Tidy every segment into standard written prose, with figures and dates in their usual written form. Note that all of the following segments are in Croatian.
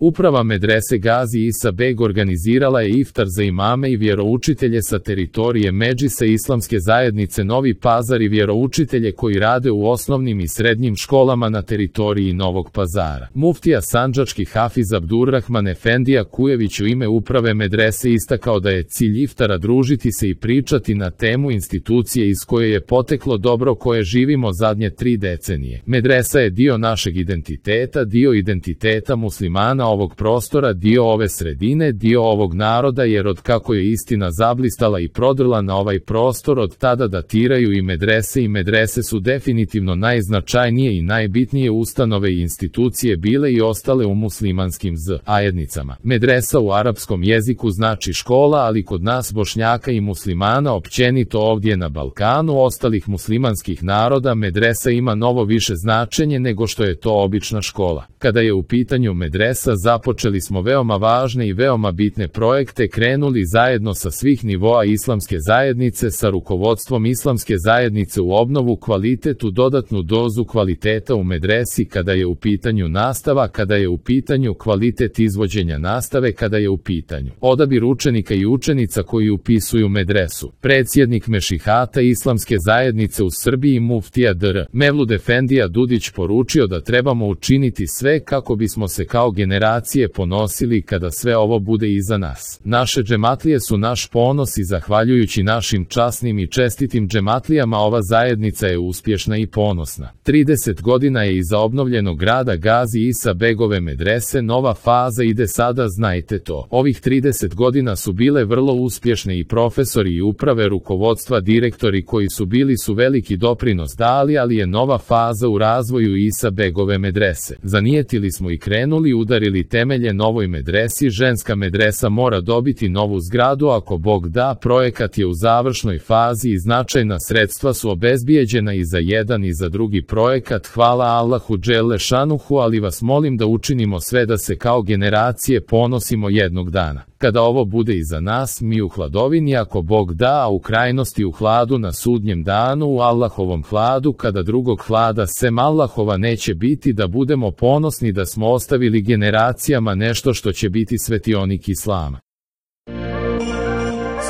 Uprava medrese Gazi Isa Beg organizirala je iftar za imame i vjeroučitelje sa teritorije Medžlisa Islamske zajednice Novi Pazar i vjeroučitelje koji rade u osnovnim i srednjim školama na teritoriji Novog Pazara. Muftija sandžački Hafiz Abdurrahman Efendija Kujević u ime uprave medrese istakao da je cilj iftara družiti se i pričati na temu institucije iz koje je poteklo dobro koje živimo zadnje 3 decenije. Medresa je dio našeg identiteta, dio identiteta muslimana ovog prostora, dio ove sredine, dio ovog naroda, jer od kako je istina zablistala i prodrla na ovaj prostor, od tada datiraju i medrese su definitivno najznačajnije i najbitnije ustanove i institucije bile i ostale u muslimanskim zajednicama. Medresa u arapskom jeziku znači škola, ali kod nas Bošnjaka i muslimana općenito ovdje na Balkanu ostalih muslimanskih naroda medresa ima novo više značenje nego što je to obična škola. Kada je u pitanju medresa, započeli smo veoma važne i veoma bitne projekte, krenuli zajedno sa svih nivoa islamske zajednice, sa rukovodstvom islamske zajednice u obnovu kvalitetu, dodatnu dozu kvaliteta u medresi kada je u pitanju nastava, kada je u pitanju kvalitet izvođenja nastave, kada je u pitanju odabir učenika i učenica koji upisuju medresu. Predsjednik Mešihata islamske zajednice u Srbiji muftija dr. Mevlud Efendija Dudić poručio da trebamo učiniti sve kako bismo se kao generacije ponosili kada sve ovo bude iza nas. Naše džematlije su naš ponos i zahvaljujući našim časnim i čestitim džematlijama ova zajednica je uspješna i ponosna. 30 godina je iza obnovljenog grada Gazi Isa Begove medrese, nova faza ide sada, znajte to. Ovih 30 godina su bile vrlo uspješne i profesori i uprave, rukovodstva, direktori koji su bili su veliki doprinos dali, ali je nova faza u razvoju Isa Begove medrese. Zanijetili smo i krenuli, udarili temelje novoj medresi. Ženska medresa mora dobiti novu zgradu ako Bog da, projekat je u završnoj fazi i značajna sredstva su obezbijeđena i za jedan i za drugi projekat. Hvala Allahu dželle šanuhu, ali vas molim da učinimo sve da se kao generacije ponosimo jednog dana. Kada ovo bude iza nas, mi u hladovini ako Bog da, a u krajnosti u hladu na sudnjem danu, u Allahovom hladu, kada drugog hlada sem Allahova neće biti, da budemo ponosni da smo ostavili generacijama nešto što će biti svetionik Islama.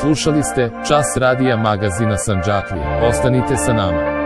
Slušali ste Čas radija magazina Sandžaklije. Ostanite sa nama.